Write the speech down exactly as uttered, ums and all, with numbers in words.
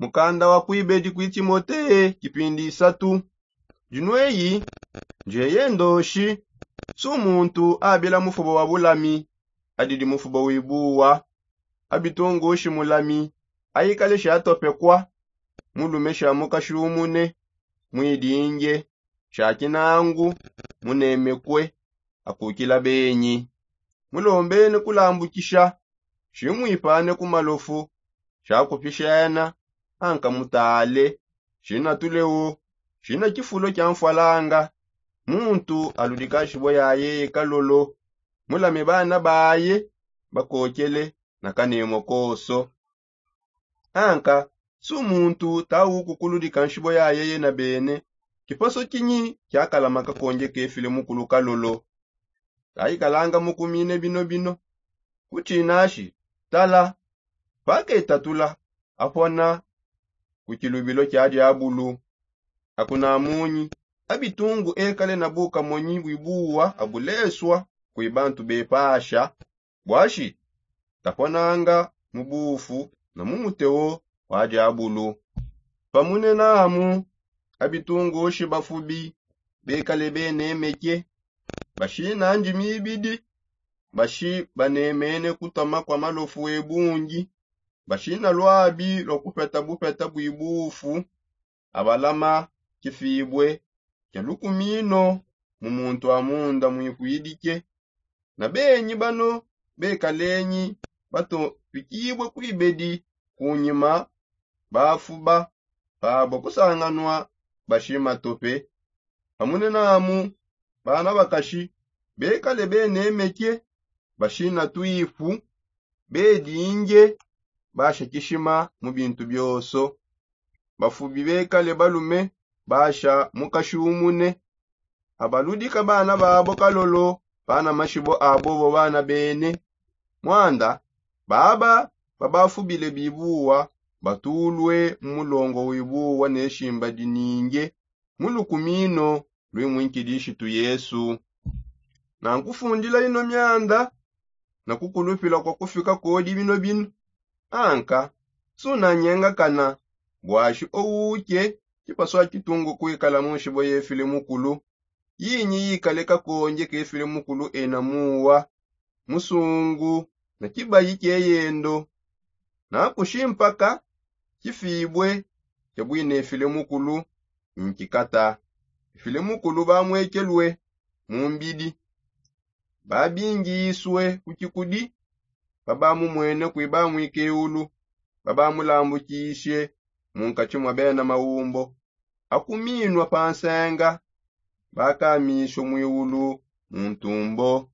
Mukanda wa kuibedi kui timote kipindi isatu. Dinweyi, ndieye ndoshi, su muntu abila mufuba wa bulami, adidi mufuba wibuwa, abitungushi mulami, aikale shatopekwa, mulume shamukashumune, mwidinge, shakinangu, munemekwe, akukila benyi. Mulombene kulambukisha, shimwipane ku malofu, shakupishana, anka mutale, shina tulewo, shina kifulo kia mfwalanga. Muntu aludika nshibwa ya yeye kalolo, mulame bana baye, bakokele, na kanemo koso. Anka, su muntu tawuku kuludika nshibwa ya yeye na bene, kipaso kinyi kiakalama kakonge kefile mukulu kalolo? Kaikalanga mukumine bino bino, kutshinashi, tala, paketatula, apona ku kilubilo kia diabulu. Akunamunyi, abitungu ekale na bukamonyi bwibuwa abuleswa, kwi bantu bepasha, bwashi, taponanga mu bufu na mu muteo wa diabulu. Pamunenamu, abitungushi bafubi bekale benemeke, bashina ndimi ibidi, bashi banemene kutoma kwa malofu ebungi, bashina lwabi lwa kupeta bupeta bwibufu, abalama kifibwe kia lukumino mu muntu amunda mwikwidike. Na benyi bano bekalenyi batopikibwe kuibedi, kunyima bafuba pabo kusanganwa bashima tope. Pamunenamu, bana bakashi bekale benemeke, bashina twifu, bedinge, bashakishima mu bintu bioso. Bafubi bekale balume basha mukashumune, abaludika bana babo kalolo, bana mashibo abobo bana bene. Mwanda, baba babafubile bibuwa, batulwe mu mulongo wibuwa ne shimba dininge mu lukumino lwi mwinkilishitu Yesu. Nankufundila ino mianda, na kukulupila kwa kufika kodi bino bino. Anka, sunanyengakana, bwashi owuke, kipaswa kitungu kwikala mu nshibo yefile mukulu. Yinyi yikale kakonge kefile mukulu ena muwa, musungu, na kibayi kieyendo. Nakushi mpaka kifibwe kia bwinefile mukulu nkikata. Efile mukulu bamwekelwe mu mbidi, babingiswe ku kikudi, babamumwene kwi bamwikeulu, babamulambukishe mu nkatshi mwa bena maumbo, akuminwa pa nsenga, bakamisho mwiulu mu ntumbo.